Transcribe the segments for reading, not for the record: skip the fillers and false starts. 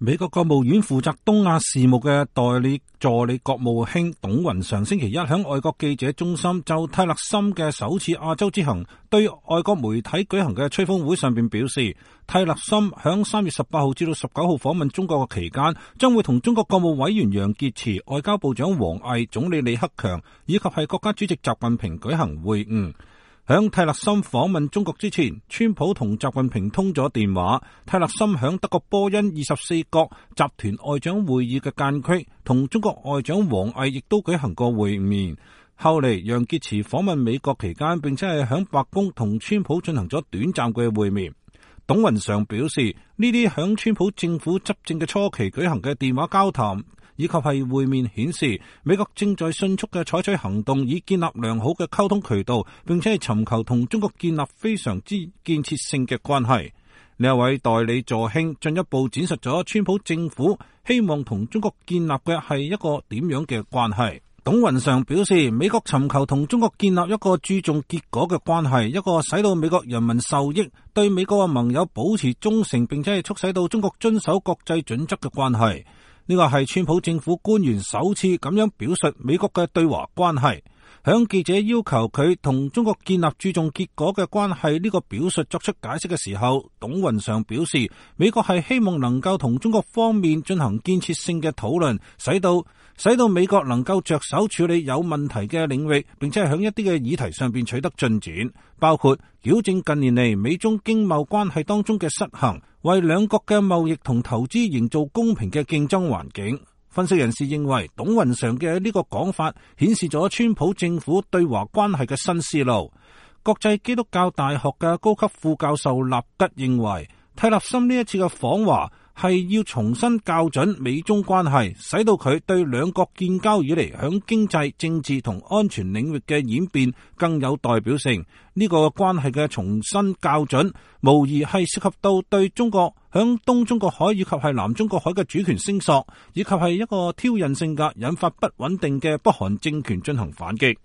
美國國務院負責東亞事務嘅代理助理國務卿董雲上星期一喺外國記者中心就泰勒森嘅首次亞洲之行對外國媒體舉行嘅吹風會上邊表示，泰勒森響3月18號至到19號訪問中國嘅期間，將會同中國國務委員楊潔篪、外交部長王毅、總理李克強以及係國家主席習近平舉行會晤。響泰勒森訪問中國之前，川普同習近平通咗電話。泰勒森響德國波恩24國集團外長會議嘅間隙，同中國外長王毅亦都舉行過會面。後嚟楊潔篪訪問美國期間，並且係響白宮同川普進行咗短暫嘅會面。董雲上表示，呢啲響川普政府執政嘅初期舉行嘅電話交談以及係會面顯示，美國正在迅速嘅採取行動，以建立良好嘅溝通渠道，並且係尋求同中國建立非常之建設性嘅關係。呢一位代理助卿進一步展述咗川普政府希望同中國建立嘅係一個點樣嘅關係。董雲上表示，美國尋求同中國建立一個注重結果嘅關係，一個使到美國人民受益、對美國嘅盟友保持忠誠，並且係促使到中國遵守國際準則嘅關係。呢個係川普政府官員首次咁樣表述美國嘅對華關係。響記者要求佢同中國建立注重結果嘅關係呢個表述作出解釋嘅時候，董雲上表示，美國係希望能夠同中國方面進行建設性嘅討論，使到美國能夠着手處理有問題嘅領域，並且係響一啲嘅議題上邊取得進展，包括矯正近年嚟美中經貿關係當中嘅失衡，為兩國嘅貿易同投資營造公平嘅競爭環境。分析人士認為，董雲上嘅呢個講法顯示咗川普政府對華關係嘅新思路。國際基督教大學嘅高級副教授納吉認為，泰勒森呢一次嘅訪華係要重新校準美中關係，使到佢對兩國建交以嚟響經濟、政治同安全領域嘅演變更有代表性。呢個關係嘅重新校準，無疑係涉及到對中國響東中國海以及係南中國海嘅主權聲索，以及係一個挑釁性格引發不穩定嘅北韓政權進行反擊。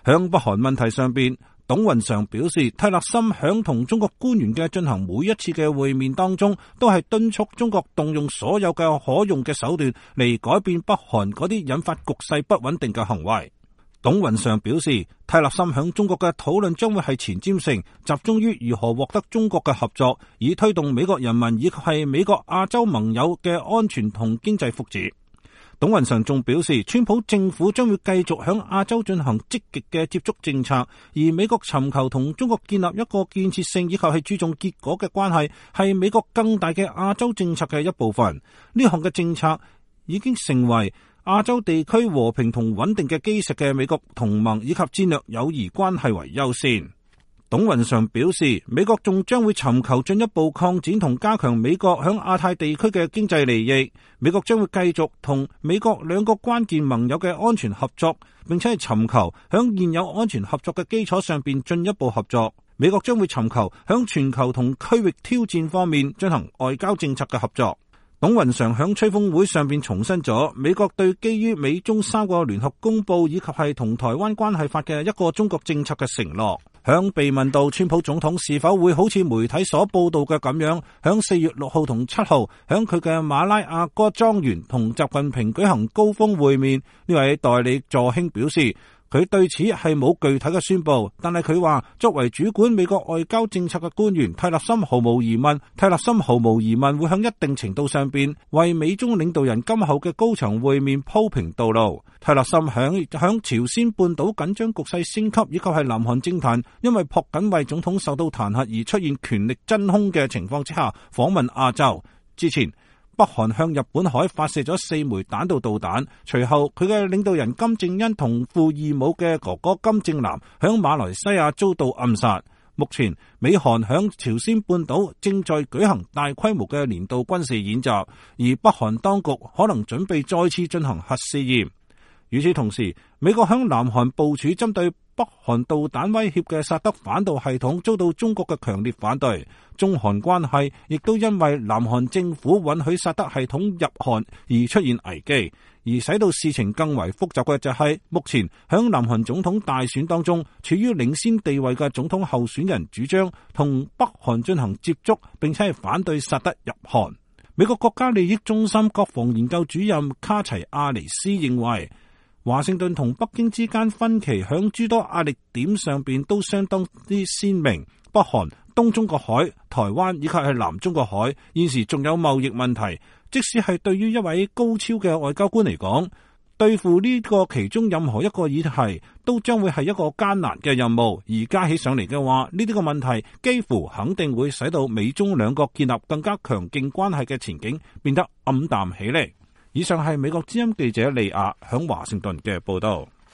響北韓問題上邊，董雲上表示，泰勒森響同中國官員嘅進行每一次嘅會面當中，都係敦促中國動用所有嘅可用嘅手段嚟改變北韓嗰啲引發局勢不穩定嘅行為。董雲上表示，泰勒森響中國嘅討論將會係前瞻性，集中於如何獲得中國嘅合作，以推動美國人民以及係美國亞洲盟友嘅安全同經濟福祉。董雲上仲表示，川普政府將會繼續響亞洲進行積極嘅接觸政策，而美國尋求同中國建立一個建設性以及係注重結果嘅關係，係美國更大嘅亞洲政策嘅一部分。呢項嘅政策已經成為亞洲地區和平同穩定嘅基石嘅美國同盟以及戰略友誼關係為優先。董雲上表示，美國仲將會尋求進一步擴展同加強美國響亞太地區嘅經濟利益。美國將會繼續同美國兩個關鍵盟友嘅安全合作，並且係尋求響現有安全合作嘅基礎上邊進一步合作。美國將會尋求響全球同區域挑戰方面進行外交政策嘅合作。董雲上響吹風會上邊重申咗美國對基於美中3個聯合公報以及係同台灣關係法嘅一個中國政策嘅承諾。響被問到川普總統是否會好似媒體所報道嘅咁樣，響4月6號同7號響佢嘅馬拉亞哥莊園同習近平舉行高峰會面，呢位代理助卿表示，佢對此係冇具體嘅宣佈，但係佢話作為主管美國外交政策嘅官員，泰勒森毫無疑問會向一定程度上邊為美中領導人今後嘅高層會面鋪平道路。泰勒森響朝鮮半島緊張局勢升級，以及係南韓政壇因為朴槿惠總統受到彈劾而出現權力真空嘅情況之下訪問亞洲。之前北韓向日本海發射咗4枚彈道導彈，隨後佢嘅領導人金正恩同父異母嘅哥哥金正男響馬來西亞遭到暗殺。目前美韓響朝鮮半島正在舉行大規模嘅年度軍事演習，而北韓當局可能準備再次進行核試驗。與此同時，美國響南韓部署針對北韓導彈威脅嘅薩德反導系統遭到中國嘅強烈反對，中韓關係亦都因為南韓政府允許薩德系統入韓而出現危機。而使到事情更為複雜嘅就係，目前響南韓總統大選當中處於領先地位嘅總統候選人主張同北韓進行接觸，並且係反對薩德入韓。美國國家利益中心國防研究主任卡齊亞尼斯認為，華盛頓同北京之間分歧響諸多壓力點上邊都相當之鮮明。北韓、東中國海、台灣以及係南中國海，現時仲有貿易問題。即使係對於一位高超嘅外交官嚟講，對付呢個其中任何一個議題，都將會係一個艱難嘅任務。而加起上嚟嘅話，呢啲個問題幾乎肯定會使到美中兩國建立更加強勁關係嘅前景變得暗淡起嚟。以上係美國之音記者利亞響華盛頓嘅報道。